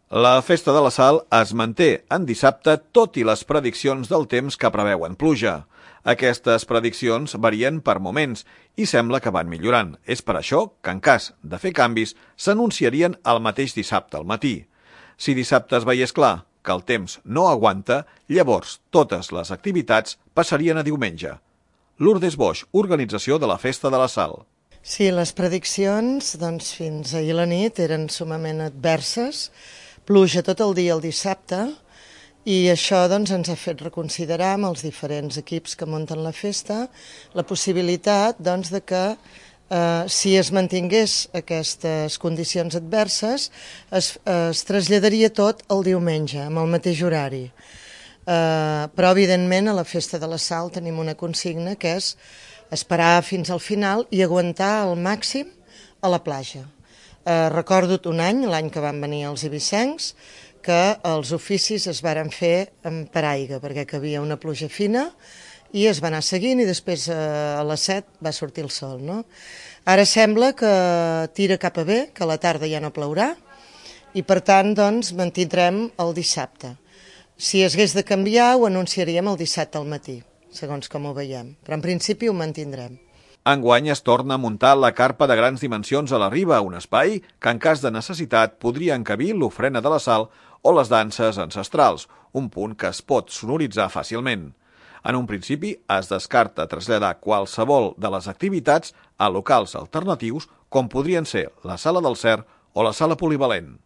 La Festa de la Sal es manté en dissabte tot i les prediccions del temps que preveuen pluja. Aquestes prediccions varien per moments i sembla que van millorant. És per això que, en cas de fer canvis, s'anunciarien el mateix dissabte al matí. Si dissabte es veiés clar que el temps no aguanta, llavors totes les activitats passarien a diumenge. Lourdes Boix, organització de la Festa de la Sal. Sí, les prediccions fins ahir a la nit eren sumament adverses, pluja tot el dia el dissabte, i això ens ha fet reconsiderar amb els diferents equips que munten la festa la possibilitat de que si es mantingués aquestes condicions adverses es traslladaria tot el diumenge amb el mateix horari. Però evidentment a la Festa de la Sal tenim una consigna que és esperar fins al final i aguantar al màxim a la platja. Recordo un any, l'any que van venir els ibicencs, que els oficis es varen fer amb paraigua, perquè que havia una pluja fina i es va anar seguint i després a les 7 va sortir el sol. No? Ara sembla que tira cap a bé, que a la tarda ja no plourà i per tant mantindrem el dissabte. Si es hagués de canviar ho anunciaríem el dissabte al matí, segons com ho veiem, però en principi ho mantindrem. Enguany es torna a muntar la carpa de grans dimensions a la riba, un espai que en cas de necessitat podria encabir l'ofrena de la sal o les danses ancestrals, un punt que es pot sonoritzar fàcilment. En un principi es descarta traslladar qualsevol de les activitats a locals alternatius com podrien ser la Sala del Cer o la Sala Polivalent.